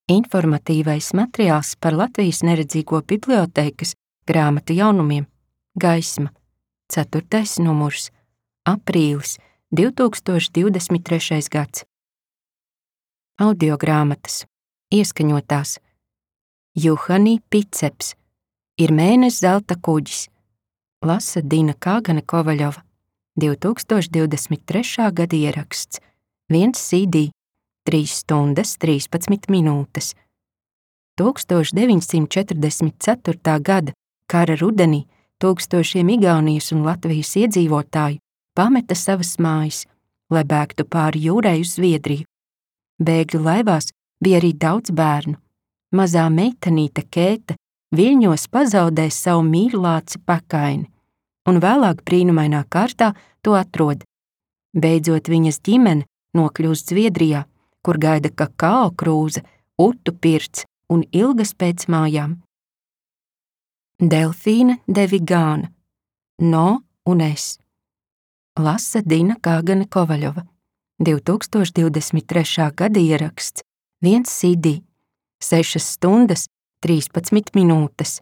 Informatīvais materiāls par Latvijas neredzīgo bibliotēkas grāmatu jaunumiem Gaisma, 4. numurs, aprīlis 2023. gads. Audiogrāmatas, ieskaņotās. Juhani Piceps, Ir mēness zelta kuģis, lasa Dina Kāgane Kovaļova, 2023. gada ieraksts, 1 CD, 3 stundas 13 minūtes. 1944. gada kara rudenī tūkstošiem Igaunijas un Latvijas iedzīvotāju pameta savas mājas, lai bēgtu pāri jūrai uz Zviedriju. Bēgļu laivās bija arī daudz bērnu. Mazā meitenīte Kēta viļņos pazaudēja savu mīļlāci Pakaini, un vēlāk brīnumainā kārtā to atrod. Beidzot viņas ģimene nokļūst Zviedrijā, kur gaida kakao krūze, utu pirts un ilgas pēc mājām. Delfīna de Vigāna, No un es. Lasa Dina Kāgane Kovaļova, 2023. gada ieraksts, 1 CD, 6 stundas 13 minūtes.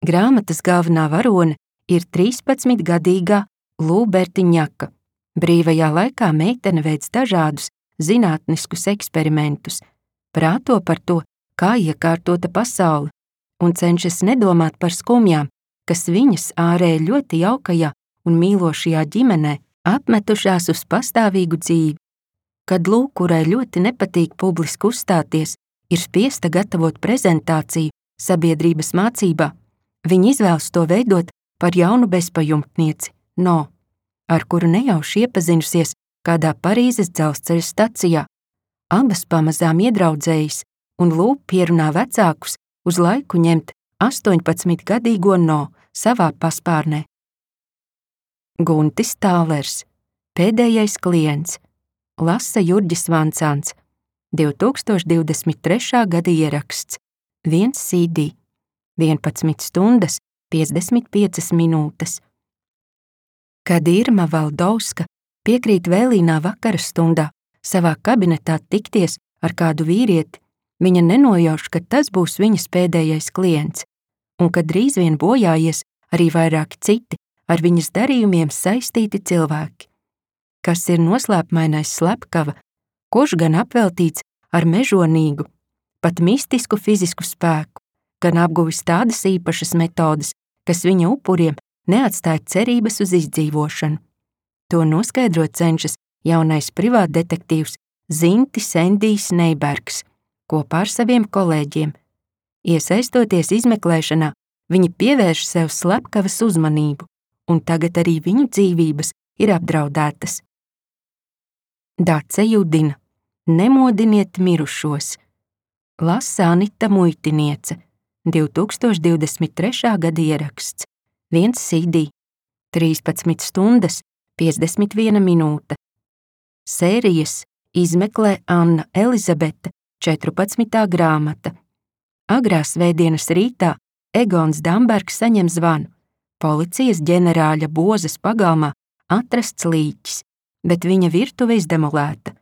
Grāmatas galvenā varone ir 13-gadīgā Lūbertiņaka. Brīvajā laikā meitene veic dažādus zinātniskus eksperimentus, prāto par to, kā iekārtota pasaule, un cenšas nedomāt par skumjām, kas viņas ārēji ļoti jaukajā un mīlošajā ģimenē apmetušās uz pastāvīgu dzīvi. Kad Lū, kurai ļoti nepatīk publiski uzstāties, ir spiesta gatavot prezentāciju sabiedrības mācībā, viņa izvēlas to veidot par jaunu bezpajumtnieci, No, ar kuru nejauši iepazinusies kādā Parīzes dzelzceļa stacijā. Abas pamazām iedraudzējas, un Lū pierunā vecākus uz laiku ņemt 18-gadīgo No savā paspārnē. Guntis Tālers, Pēdējais klients, lasa Jurģis Vancāns, 2023. gada ieraksts, 1 CD, 11 stundas 55 minūtes. Kad Irma Valdovska piekrīt vēlīnā vakara stundā savā kabinetā tikties ar kādu vīrieti, viņa nenojauš, ka tas būs viņas pēdējais klients, un ka drīz vien bojājies arī vairāki citi ar viņas darījumiem saistīti cilvēki. Kas ir noslēpmainais slepkava, kurš gan apveltīts ar mežonīgu, pat mistisku fizisku spēku, gan apguvis tādas īpašas metodes, kas viņa upuriem neatstāja cerības uz izdzīvošanu. To noskaidrot cenšas jaunais privātdetektīvs Zintis Endijs Neibergs kopā ar saviem kolēģiem. Iesaistoties izmeklēšanā, viņi pievērš sev slepkavas uzmanību, un tagad arī viņu dzīvības ir apdraudētas. Dace Judina, Nemodiniet mirušos, lasa Anita Muitiniece, 2023. gada ieraksts, 1 CD, 13 stundas 51 minūte. Sērijas izmeklē Anna Elizabete, 14. grāmata. Agrā svētdienas rītā Egons Dambergs saņem zvanu. Policijas ģenerāļa Bozas pagalmā atrasts līķis, bet viņa virtuve izdemolēta.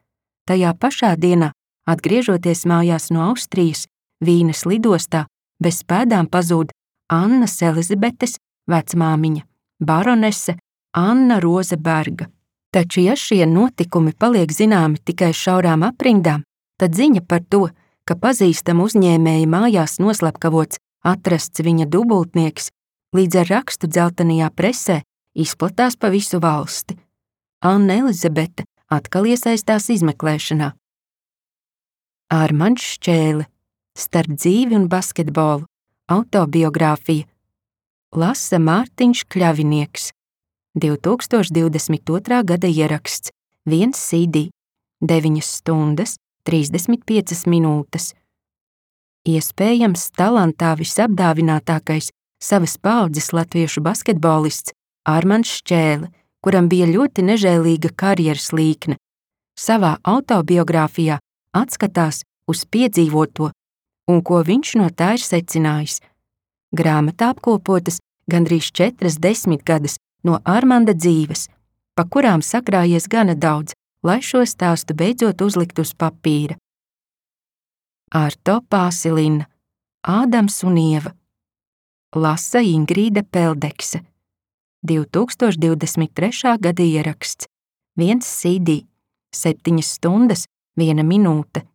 Tajā pašā dienā, atgriežoties mājās no Austrijas, Vīnes lidostā, bez pēdām pazūd Annas Elizabetes vecmāmiņa, baronese Anna Roze Berga. Taču, ja šie notikumi paliek zināmi tikai šaurām aprindām, tad ziņa par to, ka pazīstama uzņēmēja mājās noslepkavots atrasts viņa dubultnieks, līdz ar rakstu dzeltenajā presē izplatās pa visu valsti. Anna Elizabete atkal iesaistās izmeklēšanā. Armands Šķēle, Starp dzīvi un basketbolu, autobiogrāfija, lasa Mārtiņš Kļavinieks, 2022. gada ieraksts, 1 CD, 9 stundas 35 minūtes. Iespējams, talantā visapdāvinātākais savas paaudzes latviešu basketbolists Armands Šķēle, kuram bija ļoti nežēlīga karjeras līkne, savā autobiogrāfijā atskatās uz piedzīvoto un ko viņš no tā ir secinājis. Grāmatā apkopotas gandrīz 4 desmitgades no Armanda dzīves, pa kurām sakrājies gana daudz, lai šo stāstu beidzot uzlikt uz papīra. Arto Pāsilina, Ādams un Ieva. Lasa Ingrīda Peldekse. 2023. gada ieraksts. 1 CD. 7 stundas, 1 minūte.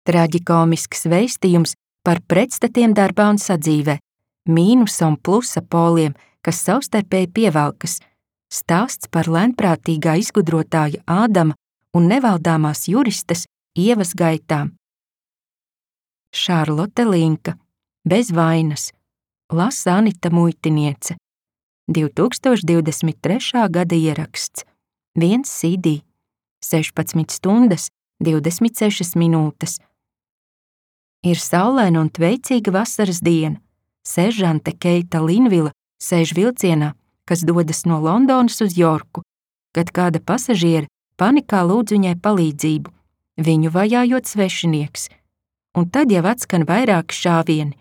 Traģikomisks vēstījums par pretstatiem darbā un sadzīvē, mīnusa un plusa poliem, kas savstarpēji pievelkas, stāsts par lēnprātīgā izgudrotāja Ādama un nevaldāmās juristes Ievas gaitām. Šarlote Linka, Bez vainas, lasa Anita Muitiniece. 2023. gada ieraksts. 1 CD. 16 stundas, 26 minūtes. Ir saulaina un tveicīga vasaras diena. Seržante Keita Linvila sēž vilcienā, kas dodas no Londonas uz Jorku, kad kāda pasažiere panikā lūdz viņai palīdzību, viņu vajājot svešinieks. Un tad jau atskan vairāki šāvieni.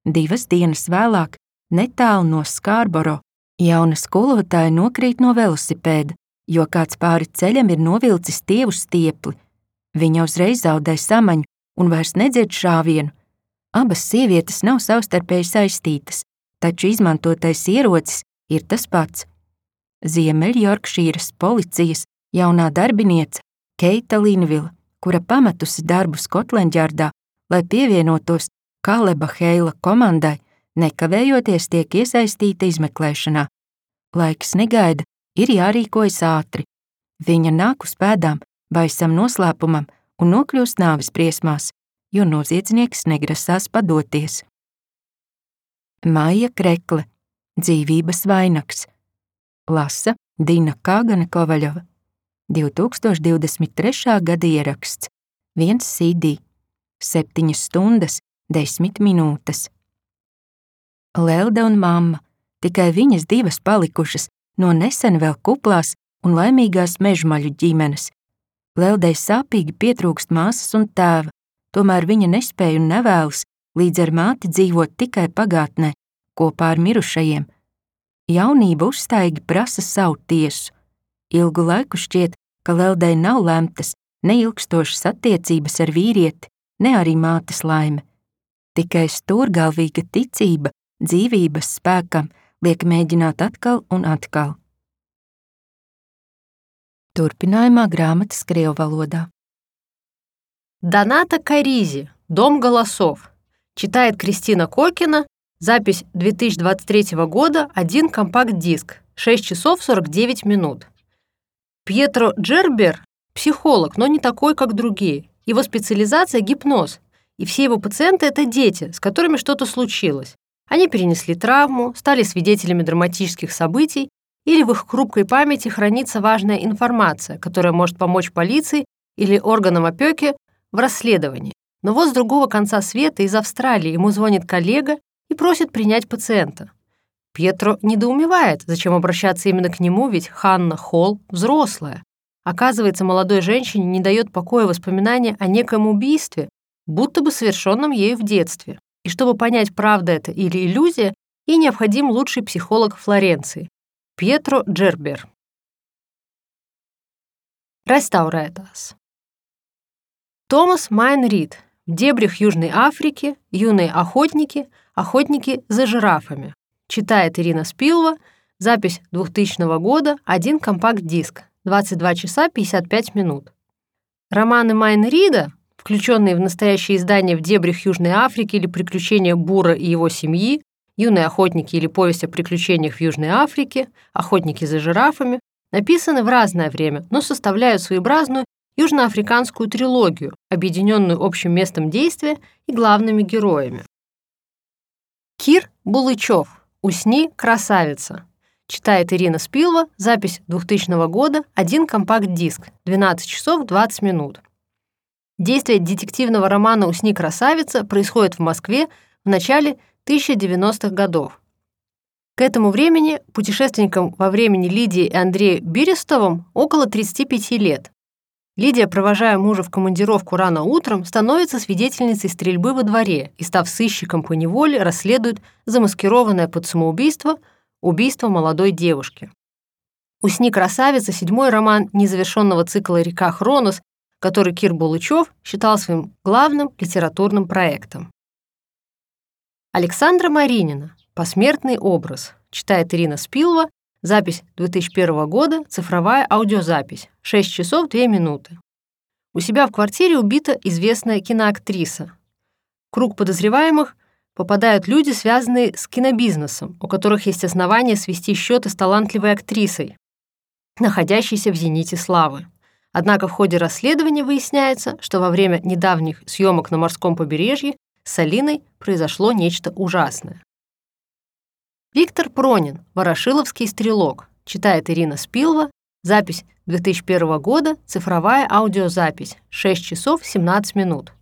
2 dienas vēlāk, netālu no Skarboro, jauna skolotāja nokrīt no velosipēda, jo kāds pāri ceļam ir novilcis tievu stiepli. Viņa uzreiz zaudē samaņu un vairs nedzird šāvienu. Abas sievietes nav savstarpēji saistītas, taču izmantotais ierocis ir tas pats. Ziemeļjorkšīras policijas jaunā darbiniece Keita Linvila, kura pametusi darbu Skotlandjardā, lai pievienotos Kaleba Heila komandai, nekavējoties tiek iesaistīta izmeklēšanā. Laiks negaida, ir jārīkojas ātri. Viņa nāk uz pēdām baisam noslēpumam un nokļūst nāves briesmās, jo noziedznieks negrasās padoties. Maija Krekle, Dzīvības vainags. Lasa Dina Kāgane Kovaļova. 2023. gada ieraksts. 1 CD. 7 stundas, 10 minūtes. Lelde un mamma, tikai viņas 2 palikušas no nesen vēl kuplās un laimīgās mežmaļu ģimenes. Leldei sāpīgi pietrūkst māsas un tēva, tomēr viņa nespēja un nevēlas līdz ar māti dzīvot tikai pagātnē, kopā ar mirušajiem. Jaunība uzstaigi prasa savu tiesu. Ilgu laiku šķiet, ka Leldei nav lemtas ne ilgstošas attiecības ar vīrieti, ne arī mātes laime. Tikai stūrgalvīga ticība dzīvības spēkam liek mēģināt atkal un atkal. Turpinājumā grāmatas krievu valodā. Доната Каризи, Дом голосов. Читает Кристина Кокина. Запись 2023 года, 1 компакт-диск, 6 часов 49 минут. Пьетро Джербер – психолог, но не такой, как другие. Его специализация – гипноз. И все его пациенты – это дети, с которыми что-то случилось. Они перенесли травму, стали свидетелями драматических событий, или в их хрупкой памяти хранится важная информация, которая может помочь полиции или органам опеки в расследовании. Но вот с другого конца света из Австралии ему звонит коллега и просит принять пациента. Пьетро недоумевает, зачем обращаться именно к нему, ведь Ханна Холл взрослая. Оказывается, молодой женщине не дает покоя воспоминания о некоем убийстве, будто бы совершенном ею в детстве. И чтобы понять, правда это или иллюзия, ей необходим лучший психолог Флоренции – Пьетро Джербер. Restaurētās. Томас Майн Рид. В дебрях Южной Африки юные охотники за жирафами. Читает Ирина Спилва. Запись 2000 года, 1 компакт-диск, 22 часа 55 минут. Романы Майн Рида, включенные в настоящее издание «В дебрях Южной Африки» или «Приключения Бура и его семьи», «Юные охотники» или «Повесть о приключениях в Южной Африке», «Охотники за жирафами», написаны в разное время, но составляют своеобразную южноафриканскую трилогию, объединенную общим местом действия и главными героями. Кир Булычев. «Усни, красавица». Читает Ирина Спилва. Запись 2000 года, 1 компакт-диск, 12 часов 20 минут. Действие детективного романа «Усни, красавица» происходит в Москве в начале 1090-х годов. К этому времени путешественникам во времени Лидии и Андрею Берестовым около 35 лет. Лидия, провожая мужа в командировку рано утром, становится свидетельницей стрельбы во дворе и, став сыщиком по неволе, расследует замаскированное под самоубийство убийство молодой девушки. «Усни, красавица» — 7-й роман незавершенного цикла «Река Хронос», который Кир Булычев считал своим главным литературным проектом. Александра Маринина «Посмертный образ», читает Ирина Спилова, запись 2001 года, цифровая аудиозапись, 6 часов 2 минуты. У себя в квартире убита известная киноактриса. В круг подозреваемых попадают люди, связанные с кинобизнесом, у которых есть основания свести счеты с талантливой актрисой, находящейся в зените славы. Однако в ходе расследования выясняется, что во время недавних съемок на морском побережье с Алиной произошло нечто ужасное. Виктор Пронин «Ворошиловский стрелок», читает Ирина Спилова, запись 2001 года, цифровая аудиозапись, 6 часов 17 минут.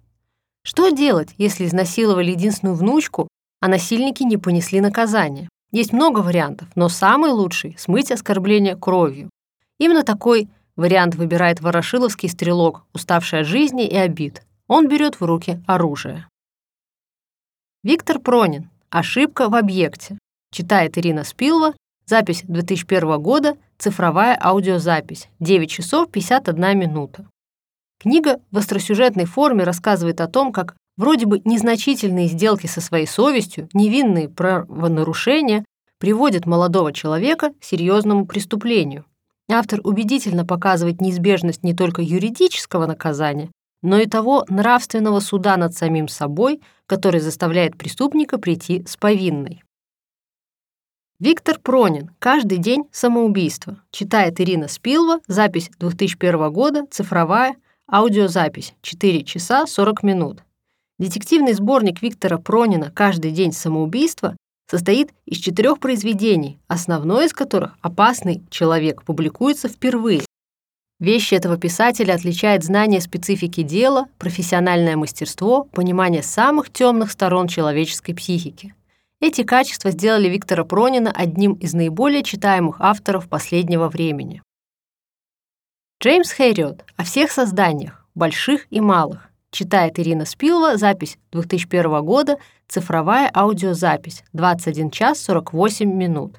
Что делать, если изнасиловали единственную внучку, а насильники не понесли наказание? Есть много вариантов, но самый лучший — смыть оскорбление кровью. Именно такой вариант выбирает ворошиловский стрелок, уставший от жизни и обид. Он берет в руки оружие. Виктор Пронин «Ошибка в объекте», читает Ирина Спилова, запись 2001 года, цифровая аудиозапись, 9 часов 51 минута. Книга в остросюжетной форме рассказывает о том, как вроде бы незначительные сделки со своей совестью, невинные правонарушения приводят молодого человека к серьезному преступлению. Автор убедительно показывает неизбежность не только юридического наказания, но и того нравственного суда над самим собой, который заставляет преступника прийти с повинной. Виктор Пронин «Каждый день самоубийство», читает Ирина Спилова, запись 2001 года, цифровая аудиозапись, 4 часа 40 минут. Детективный сборник Виктора Пронина «Каждый день самоубийства» состоит из 4 произведений, основное из которых «Опасный человек» публикуется впервые. Вещи этого писателя отличает знание специфики дела, профессиональное мастерство, понимание самых темных сторон человеческой психики. Эти качества сделали Виктора Пронина одним из наиболее читаемых авторов последнего времени. Джеймс Хэриот «О всех созданиях, больших и малых», читает Ирина Спилова, запись 2001 года, цифровая аудиозапись, 21 час 48 минут.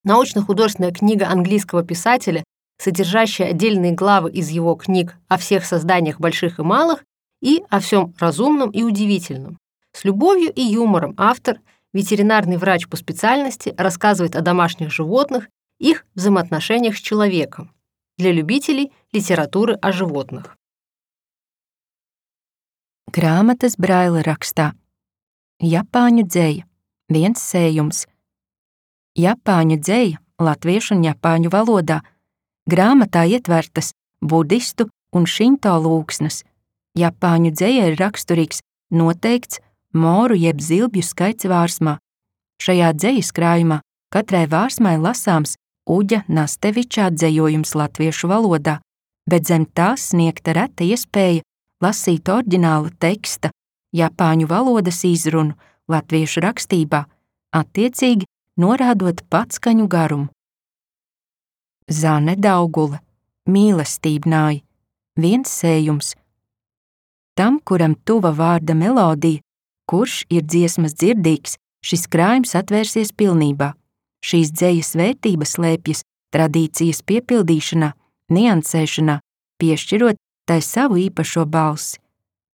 Научно-художественная книга английского писателя, содержащая отдельные главы из его книг «О всех созданиях больших и малых» и «О всем разумном и удивительном». С любовью и юмором автор, ветеринарный врач по специальности, рассказывает о домашних животных, их взаимоотношениях с человеком. Для любителей литературы о животных. Grāmatas Braila rakstā. Japāņu dzeja. Viens sējums. Japāņu dzeja latviešu un japāņu valodā. Grāmatā ietvertas budistu un šinto lūgsnes. Japāņu dzeja ir raksturīgs noteikts moru jeb zilbju skaits vārsmā. Šajā dzejas krājumā katrai vārsmai lasāms Uģa Nasteviča atzējojums latviešu valodā, bet zem tās sniegta reta iespēja lasīt oriģināla teksta, japāņu valodas izrunu latviešu rakstībā, attiecīgi norādot patskaņu garumu. Zane Daugule, mīlestībnāji, viens sējums. Tam, kuram tuva vārda melodija, kurš ir dziesmas dzirdīgs, šis krājums atvērsies pilnībā. Šīs dzejas vērtība slēpjas tradīcijas piepildīšanā, niansēšanā, piešķirot tai savu īpašo balsi.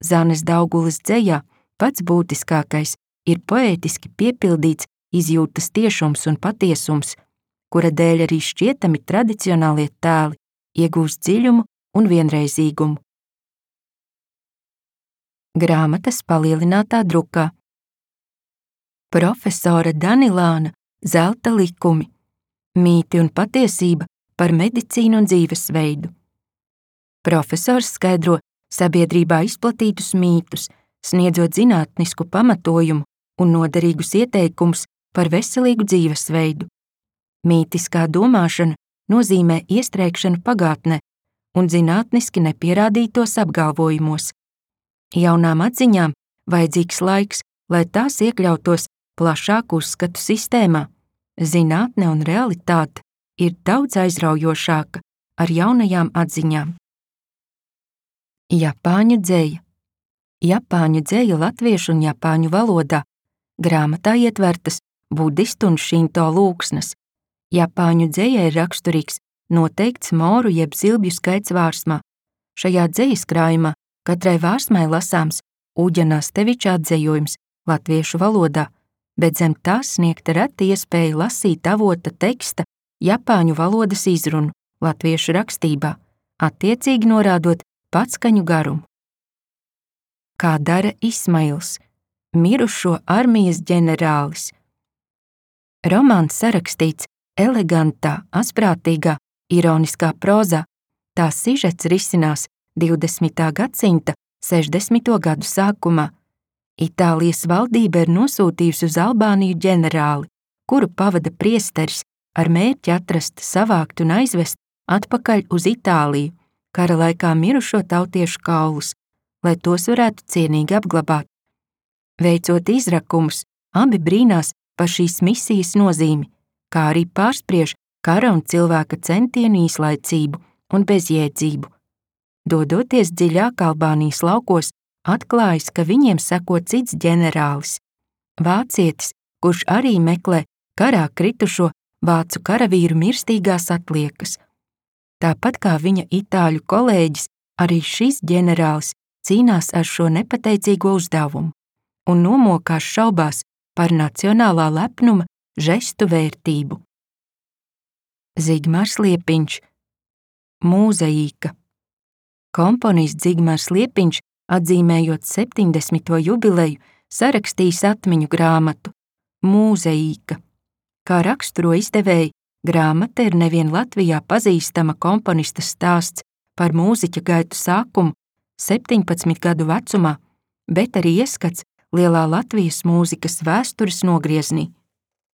Zanes Daugules dzejā pats būtiskākais ir poētiski piepildīts izjūtas tiešums un patiesums, kura dēļ arī šķietami tradicionālie tēli iegūst dziļumu un vienreizīgumu. Grāmatas palielinātā drukā. Profesora Danilāna Zelta likumi. Mīti un patiesība par medicīnu un dzīvesveidu. Profesors skaidro sabiedrībā izplatītus mītus, sniedzot zinātnisku pamatojumu un noderīgus ieteikumus par veselīgu dzīvesveidu. Mītiskā domāšana nozīmē iestrēgšanu pagātnē un zinātniski nepierādītos apgalvojumos. Jaunām atziņām vajadzīgs laiks, lai tās iekļautos plašāku uzskatu sistēmā. Zinātne un realitāte ir daudz aizraujošāka ar jaunajām atziņām. Japāņu dzeja. Japāņu dzeja latviešu un japāņu valodā. Grāmatā ietvertas budistu un šinto lūgsnes. Japāņu dzeja ir raksturīgs noteikts moru jeb zilbju skaits vārsmā. Šajā dzejas krājumā katrai vārsmai lasāms Uģa Nasteviča atzejojums latviešu valodā, bet zem tā sniegta reta iespēja lasīt avota teksta japāņu valodas izrunu latviešu rakstībā, attiecīgi norādot patskaņu garumu. Kā dara Ismails, mirušo armijas ģenerālis. Romāns sarakstīts elegantā, asprātīgā, ironiskā prozā, tā sižets risinās 20. gadsimta 60. gadu sākumā. Itālijas valdība ir nosūtījusi uz Albāniju ģenerāli, kuru pavada priesteris ar mērķi atrast, savākt un aizvest atpakaļ uz Itāliju, kara laikā mirušo tautiešu kaulus, lai tos varētu cienīgi apglabāt. Veicot izrakumus, abi brīnās par šīs misijas nozīmi, kā arī pārspriež kara un cilvēka centienu īslaicību un bezjēdzību. Dodoties dziļāk Albānijas laukos, atklājas, ka viņiem seko cits ģenerālis, vācietis, kurš arī meklē karā kritušo vācu karavīru mirstīgās atliekas. Tāpat kā viņa itāļu kolēģis, arī šis ģenerālis cīnās ar šo nepateicīgo uzdevumu un nomokās šaubās par nacionālā lepnuma žestu vērtību. Zigmārs Liepiņš, Mūzaīka. Komponists Zigmārs Liepiņš, atzīmējot 70. jubileju, sarakstījis atmiņu grāmatu Mūzaīka. Kā raksturo izdevēji, grāmata ir nevien Latvijā pazīstama komponista stāsts par mūziķa gaitu sākumu 17 gadu vecumā, bet arī ieskats lielā Latvijas mūzikas vēstures nogrieznī.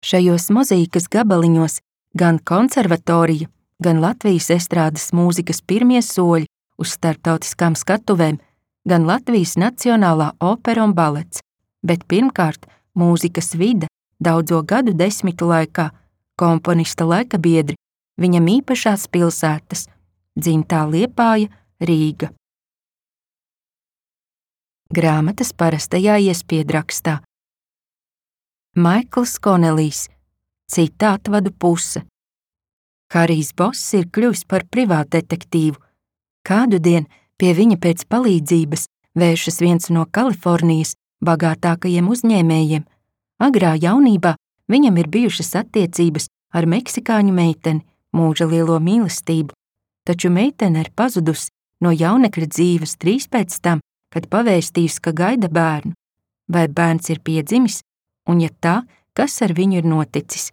Šajos mozaīkas gabaliņos gan konservatorija, gan Latvijas estrādes mūzikas pirmie soļi uz starptautiskām skatuvēm, gan Latvijas Nacionālā opera un balets, bet pirmkārt mūzikas vide daudzo gadu desmitu laikā, komponista laikabiedri, viņam īpašās pilsētas, dzimtā Liepāja, Rīga. Grāmatas parastajā iespiedrakstā. Maikls Konelijs, cita atvadu puse. Harijs Boss ir kļuvis par privātdetektīvu. Kādu dienu pie viņa pēc palīdzības vēršas viens no Kalifornijas bagātākajiem uzņēmējiem. Agrā jaunībā viņam ir bijušas attiecības ar meksikāņu meiteni, mūža lielo mīlestību, taču meitene ir pazudusi no jaunekļa dzīves drīz pēc tam, kad pavēstījusi, ka gaida bērnu. Vai bērns ir piedzimis, un ja tā, kas ar viņu ir noticis?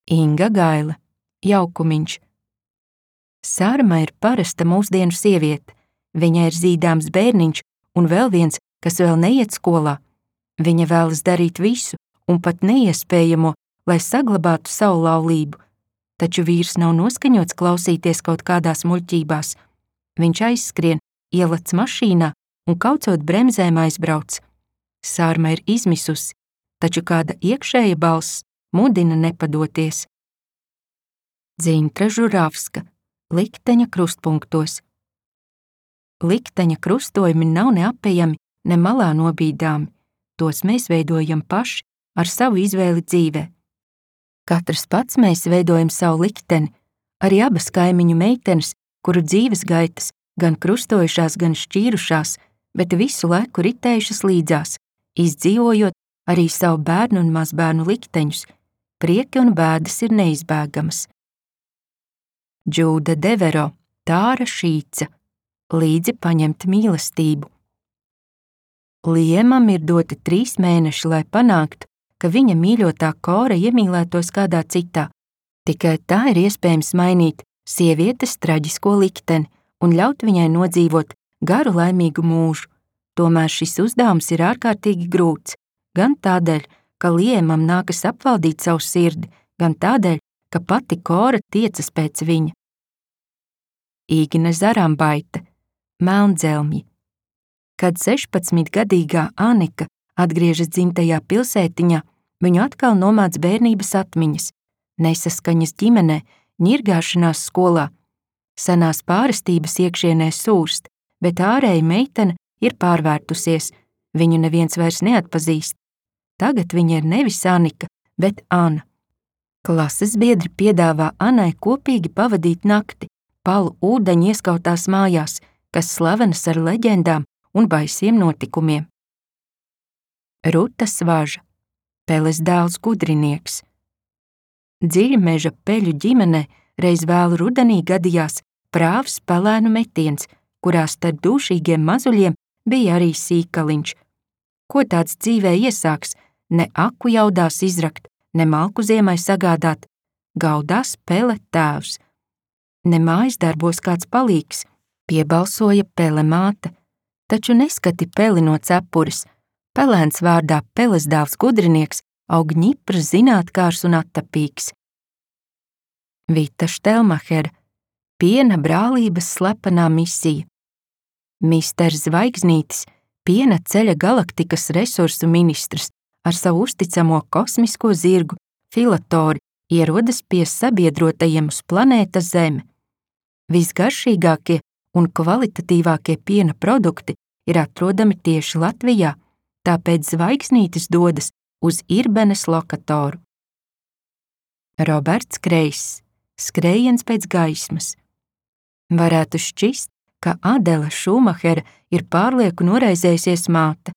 Inga Gaile, Jaukumiņš. Sārma ir parasta mūsdienu sieviete. Viņai ir zīdāms bērniņš un vēl viens, kas vēl neiet skolā. Viņa vēlas darīt visu un pat neiespējamo, lai saglabātu savu laulību. Taču vīrs nav noskaņots klausīties kaut kādās muļķībās. Viņš aizskrien, ielec mašīnā un kaucot bremzēm aizbrauc. Sārma ir izmisusi, taču kāda iekšēja balss mudina nepadoties. Dzintra Žuravska, Likteņa krustpunktos. Likteņa krustojumi nav neapejami, ne malā nobīdāmi. Tos mēs veidojam paši ar savu izvēli dzīvē. Katrs pats mēs veidojam savu likteni, arī abas kaimiņu meitenes, kuru dzīves gaitas gan krustojušās, gan šķīrušās, bet visu laiku ritējušas līdzās, izdzīvojot arī savu bērnu un mazbērnu likteņus. Prieki un bēdas ir neizbēgamas. Džūda Devero, Tāra Šīca, Līdzi paņemt mīlestību. Liemam ir doti 3 mēneši, lai panāktu, ka viņa mīļotā Kora iemīlētos kādā citā. Tikai tā ir iespējams mainīt sievietes traģisko likteni un ļaut viņai nodzīvot garu laimīgu mūžu. Tomēr šis uzdevums ir ārkārtīgi grūts, gan tādēļ, ka Liemam nākas apvaldīt savu sirdi, gan tādēļ, ka pati Kora tiecas pēc viņa. Īgne Zarambaite, Melndzelmji. Kad 16-gadīgā Anika atgriežas dzimtajā pilsētiņā, viņu atkal nomāc bērnības atmiņas, nesaskaņas ģimenē, ņirgāšanās skolā. Senās pārestības iekšienē sūrst, bet ārēji meitene ir pārvērtusies, viņu neviens vairs neatpazīst. Tagad viņa ir nevis Anika, bet Ana. Klases biedri piedāvā Anai kopīgi pavadīt nakti, palu ūdeņu ieskautās mājās, kas slavenas ar leģendām un baisiem notikumiem. Ruta Svaža, Peles dēls gudrinieks. Dziļmeža peļu ģimenē reiz vēlu rudenī gadījās prāvs pelēnu metiens, kurā starp dūšīgiem mazuļiem bija arī sīkaliņš. Ko tāds dzīvē iesāks, ne aku jaudās izrakt, ne malku ziemai sagādāt, gaudās Pele tēvs. Ne mājas darbos kāds palīgs, piebalsoja Pele māte, taču neskati Peli no cepures. Pelēns vārdā Peles dēls gudrinieks aug ņiprs, zinātkārs un attapīgs. Vita Štelmahera, piena brālības slepenā misija. Misters Zvaigznītis, piena ceļa galaktikas resursu ministrs, ar savu uzticamo kosmisko zirgu Filatori ierodas pie sabiedrotajiem uz planētas Zeme. Visgaršīgākie un kvalitatīvākie piena produkti ir atrodami tieši Latvijā, tāpēc Zvaigznītis dodas uz Irbenes lokatoru. Roberts Kreiss, skrējiens pēc gaismas. Varētu šķist, ka Adela Šumahera ir pārlieku noraizējusies māte.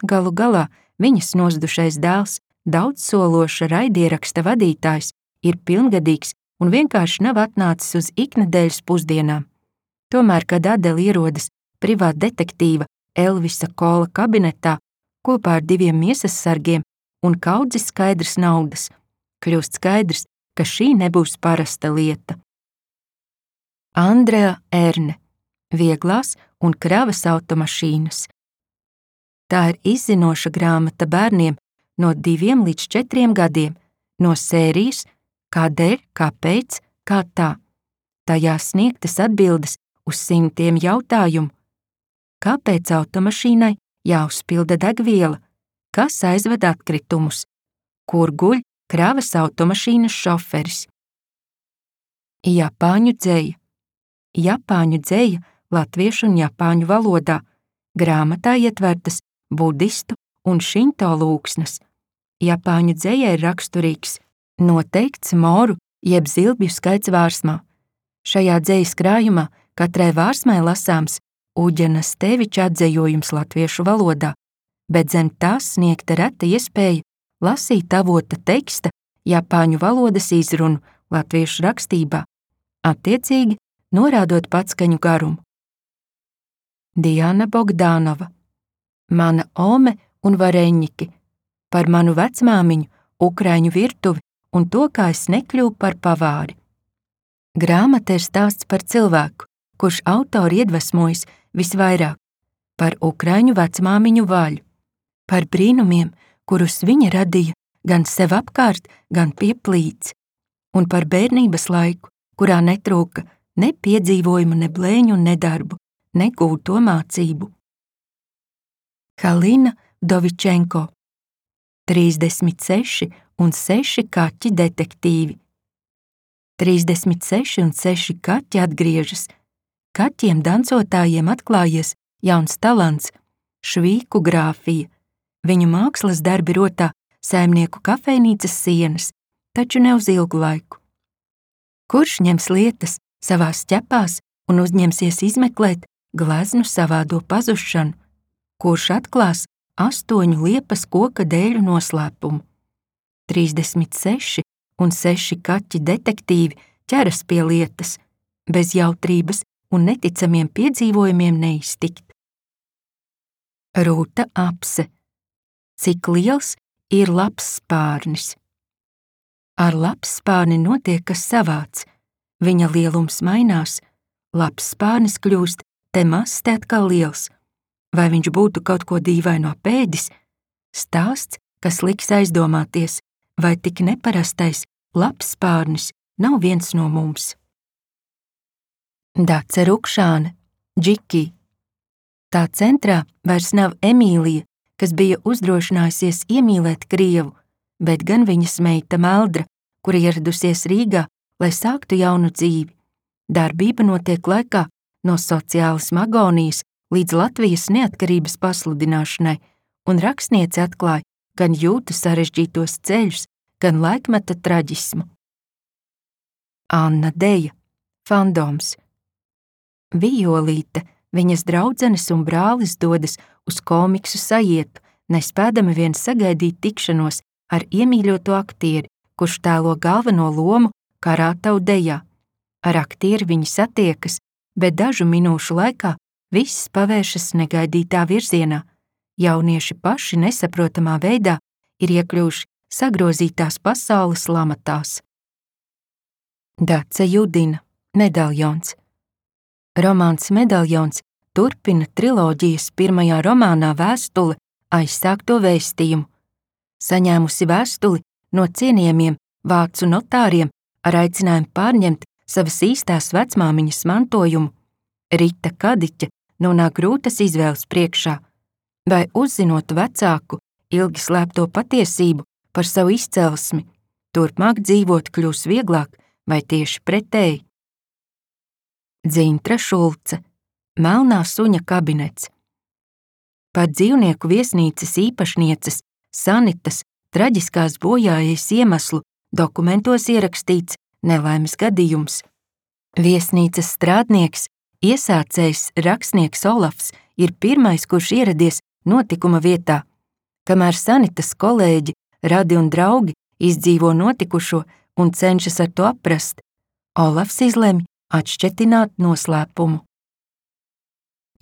Galu galā viņas nozdušais dēls, daudzsološa raidieraksta vadītājs, ir pilngadīgs un vienkārši nav atnācis uz iknedēļas pusdienām. Tomēr, kad Adela ierodas privāta detektīva Elvisa Kola kabinetā kopā ar 2 miesas sargiem un kaudzi skaidras naudas, kļūst skaidrs, ka šī nebūs parasta lieta. Andrea Erne, vieglās un kravas automašīnas. Tā ir izzinoša grāmata bērniem no 2 līdz 4 gadiem, no sērijas Kādēļ, kāpēc, kā tā. Tajā sniegtas atbildes uz 100 jautājumu. Kāpēc automašīnai jāuzpilda degviela? Kas aizved atkritumus? Kur guļ kravas automašīnas šoferis? Japāņu dzeja. Japāņu dzeja latviešu un japāņu valodā. Grāmatā ietvertas budistu un šinto lūksnes. Japāņu dzejai ir raksturīgs noteikts moru jeb zilbju skaits vārsmā. Šajā dzejas krājumā katrai vārsmai lasāms Uģena Steviča atzejojums latviešu valodā, bet zem tās sniegta reta iespēja lasīt avota teksta japāņu valodas izrunu latviešu rakstībā, attiecīgi norādot patskaņu garumu. Diana Bogdanova, Mana ome un vareņķi, par manu vecmāmiņu, ukraiņu virtuvi un to, kā es nekļuvu par pavāri. Grāmata ir stāsts par cilvēku, kurš autori iedvesmojas visvairāk, par ukraiņu vecmāmiņu Vaļu, par brīnumiem, kurus viņa radīja gan sev apkārt, gan pie plīts, un par bērnības laiku, kurā netrūka ne piedzīvojumu, ne blēņu, ne darbu, ne gūto mācību. Halina Dovičenko, 36 un 6 kaķi detektīvi. 36 un 6 kaķi atgriežas. Kaķiem dancotājiem atklājies jauns talants – švīku grāfija. Viņu mākslas darbi rotā saimnieku kafejnīcas sienas, taču ne uz ilgu laiku. Kurš ņems lietas savās ķepās un uzņemsies izmeklēt gleznu savādo pazušanu? Kurš atklās 8 liepas koka dēļu noslēpumu? 36 un 6 kaķi detektīvi ķeras pie lietas, bez jautrības un neticamiem piedzīvojumiem neiztikt. Rūta Apse, cik liels ir lapsspārnis? Ar lapsspārni notiek kas savāds, viņa lielums mainās, lapsspārnis kļūst te mazs, te atkal liels. Vai viņš būtu kaut ko dīvaino pēdis? Stāsts, kas liks aizdomāties, vai tik neparastais lapsspārnis nav viens no mums. Dace Rukšāne, Džiki. Tā centrā vairs nav Emīlija, kas bija uzdrošinājusies iemīlēt Krievu, bet gan viņas meita Meldra, kura ieradusies Rīgā, lai sāktu jaunu dzīvi. Darbība notiek laikā no sociālisma agonijas līdz Latvijas neatkarības pasludināšanai, un rakstniece atklāja gan jūtu sarežģītos ceļus, gan laikmeta traģismu. Anna Deja, fandoms, Vijolīte, viņas draudzenes un brālis dodas uz komiksu sajietu, nespēdami vien sagaidīt tikšanos ar iemīļoto aktieri, kurš tēlo galveno lomu Karātavu dejā. Ar aktieri viņi satiekas, bet dažu minūšu laikā viss pavēršas negaidītā virzienā. Jaunieši paši nesaprotamā veidā ir iekļuvuši sagrozītās pasaules lamatās. Dace Judina, Medaljons. Romāns Medaljons turpina triloģijas pirmajā romānā vēstuli aizsākto vēstījumu. Saņēmusi vēstuli no cienījamiem vācu notāriem ar aicinājumu pārņemt savas īstās vecmāmiņas mantojumu, Rita Kadiķe nonāk grūtas izvēles priekšā, vai uzzinot vecāku ilgi slēpto patiesību par savu izcelsmi, turpmāk dzīvot kļūs vieglāk vai tieši pretēji. Dzintra Šulce, Melnā suņa kabinets. Par dzīvnieku viesnīcas īpašnieces Sanitas traģiskās bojājas iemeslu dokumentos ierakstīts nelaimes gadījums. Viesnīcas strādnieks, iesācējs rakstnieks Olafs ir pirmais, kurš ieradies notikuma vietā. Kamēr Sanitas kolēģi, radi un draugi izdzīvo notikušo un cenšas ar to aprast, Olafs izlemj atšķetināt noslēpumu.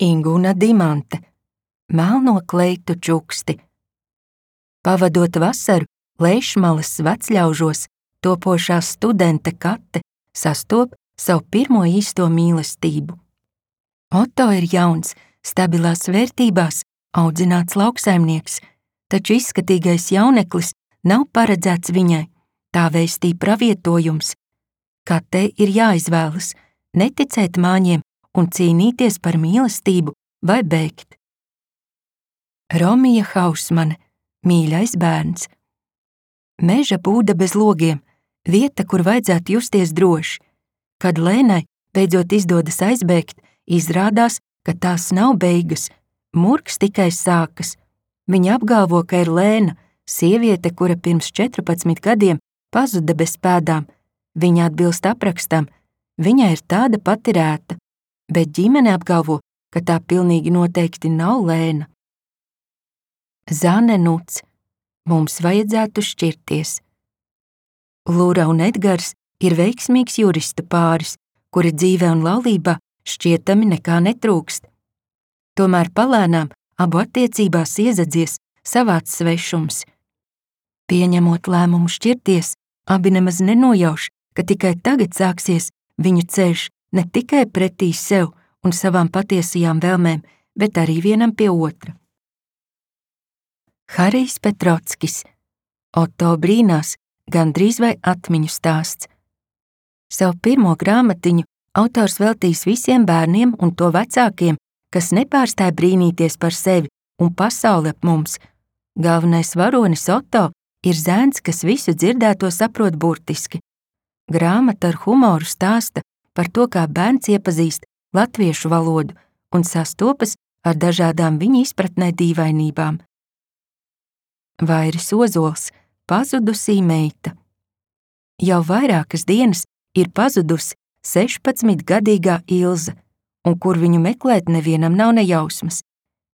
Inguna Dimante, Melno kleitu čuksti. Pavadot vasaru Leišmalas vecļaužos, topošā studente Kate sastop savu pirmo īsto mīlestību. Oto ir jauns, stabilās vērtībās audzināts lauksaimnieks, taču izskatīgais jauneklis nav paredzēts viņai, tā vēstī pravietojums. Katei ir jāizvēlas neticēt māņiem un cīnīties par mīlestību vai bēgt. Romija Hausmane, Mīļais bērns. Meža būda bez logiem, vieta, kur vajadzētu justies droši. Kad Lēnai beidzot izdodas aizbēgt, izrādās, ka tās nav beigas, murgs tikai sākas. Viņa apgalvo, ka ir Lēna, sieviete, kura pirms 14 gadiem pazuda bez pēdām. Viņa atbilst aprakstam, viņa ir tāda pati rēta, bet ģimene apgalvo, ka tā pilnīgi noteikti nav Lēna. Zane Nuts, Mums vajadzētu šķirties. Lura un Edgars ir veiksmīgs juristu pāris, kuri dzīvē un laulībā šķietami nekā netrūkst. Tomēr palēnām abu attiecībās iezadzies savāds svešums. Pieņemot lēmumu šķirties, abi nemaz nenojauš, ka tikai tagad sāksies viņu ceļš ne tikai pretī sev un savām patiesajām vēlmēm, bet arī vienam pie otra. Harijs Petrockis, Oto brīnās, gandrīz vai atmiņu stāsts. Savu pirmo grāmatiņu autors veltīs visiem bērniem un to vecākiem, kas nepārstāj brīnīties par sevi un pasauli ap mums. Galvenais varonis Oto ir zēns, kas visu dzirdēto saprot burtiski. Grāmata ar humoru stāsta par to, kā bērns iepazīst latviešu valodu un sastopas ar dažādām viņa izpratnē dīvainībām. Vairis Ozols, Pazudusī meita. Jau vairākas dienas ir pazudusi 16-gadīgā Ilze, un kur viņu meklēt nevienam nav nejausmas.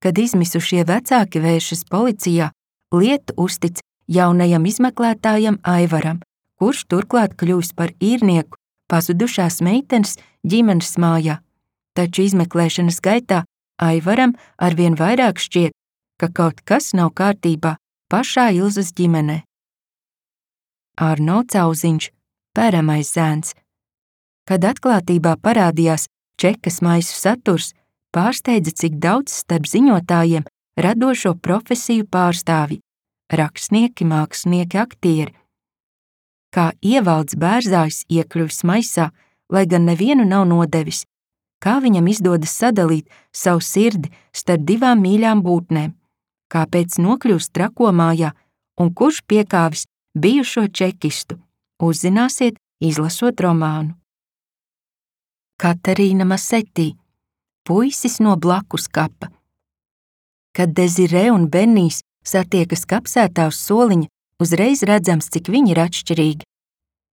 Kad izmisušie vecāki vēršas policijā, lietu uztic jaunajam izmeklētājam Aivaram, kurš turklāt kļūs par īrnieku pazudušās meitenes ģimenes mājā. Taču izmeklēšanas gaitā Aivaram arvien vairāk šķiet, ka kaut kas nav kārtībā pašā Ilzes ģimenē. Arno Cauziņš, Pēramais zēns. Kad atklātībā parādījās čekas maisu saturs, pārsteidza, cik daudz starp ziņotājiem radošo profesiju pārstāvji – rakstnieki, mākslinieki, aktieri. Kā Ievalds Bērzājs iekļuvis maisā, lai gan nevienu nav nodevis, kā viņam izdodas sadalīt savu sirdi starp divām mīļām būtnēm, kāpēc nokļūst trakomājā un kurš piekāvis bijušo čekistu, uzzināsiet, izlasot romānu. Katarīna Masetī, Puisis no blakus kapa. Kad Dezirē un Benijs satiekas kapsētā uz soliņa, uzreiz redzams, cik viņi ir atšķirīgi.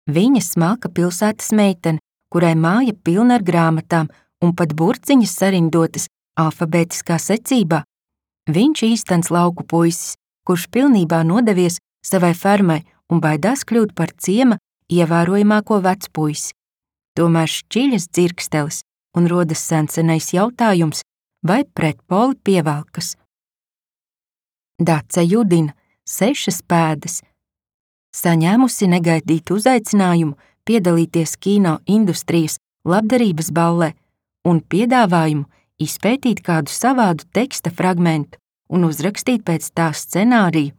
Viņa smalka pilsētas meitene, kurai māja pilna ar grāmatām un pat burciņas sarindotas alfabētiskā secībā. Viņš īstens lauku puisis, kurš pilnībā nodevies savai fermai un baidās kļūt par ciema ievērojamāko vecpuisi. Tomēr šķiļas dzirkstelis un rodas sensenais jautājums, vai pretpoli pievelkas. Dace judina 6 pēdas. Saņēmusi negaidītu uzaicinājumu piedalīties kino industrijas labdarības ballē un piedāvājumu izpētīt kādu savādu teksta fragmentu un uzrakstīt pēc tā scenāriju,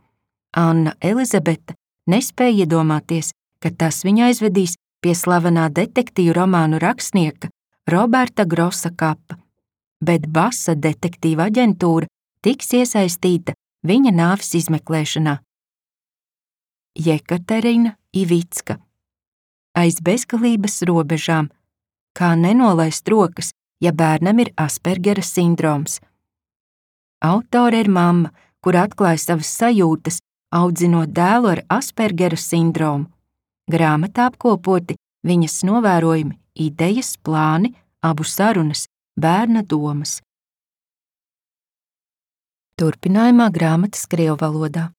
Anna Elizabete nespēja iedomāties, ka tas viņu aizvedīs pie slavenā detektīvu romānu rakstnieka Roberta Grosa kapa, bet Basa detektīva aģentūra tiks iesaistīta viņa nāves izmeklēšanā. Jekaterina Ivicka. Aiz bezgalības robežām. Kā nenolaist rokas, ja bērnam ir Aspergera sindroms. Autore ir mamma, kur atklāja savas sajūtas, audzinot dēlu ar Aspergera sindromu. Grāmatā apkopoti viņas novērojumi, idejas, plāni, abu sarunas, bērna domas. Turpinājumā grāmatas krievu valodā.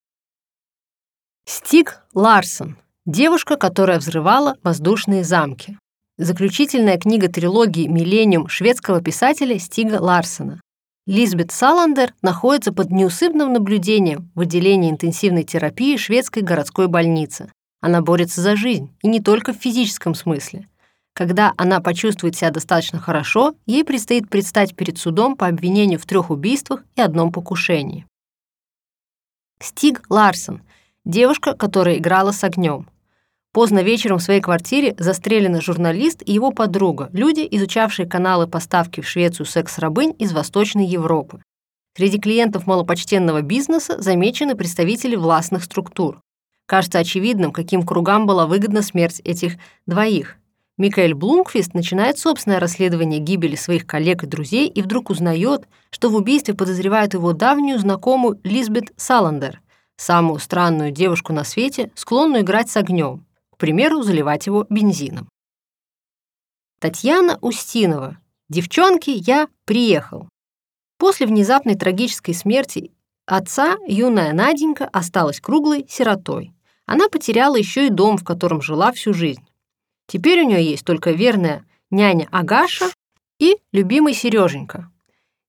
Стиг Ларсон. Девушка, которая взрывала воздушные замки. Заключительная книга трилогии «Миллениум» шведского писателя Стига Ларсона. Лизбет Саландер находится под неусыпным наблюдением в отделении интенсивной терапии шведской городской больницы. Она борется за жизнь, и не только в физическом смысле. Когда она почувствует себя достаточно хорошо, ей предстоит предстать перед судом по обвинению в 3 убийствах и 1 покушении. Стиг Ларсон. Девушка, которая играла с огнем. Поздно вечером в своей квартире застрелены журналист и его подруга, люди, изучавшие каналы поставки в Швецию секс-рабынь из Восточной Европы. Среди клиентов малопочтенного бизнеса замечены представители властных структур. Кажется очевидным, каким кругам была выгодна смерть этих двоих. Микаэль Блумквист начинает собственное расследование гибели своих коллег и друзей и вдруг узнает, что в убийстве подозревают его давнюю знакомую Лизбет Саландер, самую странную девушку на свете, склонную играть с огнем, к примеру, заливать его бензином. Татьяна Устинова. «Девчонки, я приехал». После внезапной трагической смерти отца юная Наденька осталась круглой сиротой. Она потеряла еще и дом, в котором жила всю жизнь. Теперь у нее есть только верная няня Агаша и любимый Сереженька.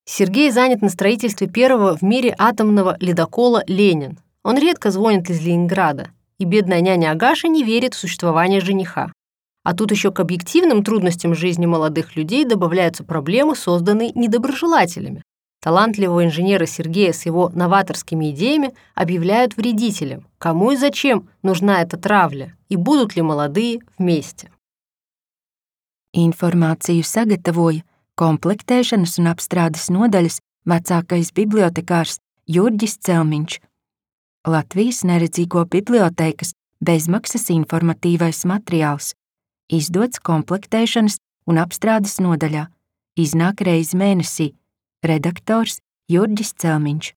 Сергей занят на строительстве первого в мире атомного ледокола «Ленин». Он редко звонит из Ленинграда, и бедная няня Агаша не верит в существование жениха. А тут еще к объективным трудностям жизни молодых людей добавляются проблемы, созданные недоброжелателями. Талантливого инженера Сергея с его новаторскими идеями объявляют вредителем. Кому и зачем нужна эта травля, и будут ли молодые вместе? Informāciju sagatavoja komplektēšanas un apstrādes nodaļas vecākais bibliotekārs Jurģis Celmiņš. Latvijas neredzīgo bibliotēkas bezmaksas informatīvais materiāls, izdots komplektēšanas un apstrādes nodaļā, iznāk reizi mēnesī, redaktors Jurģis Celmiņš.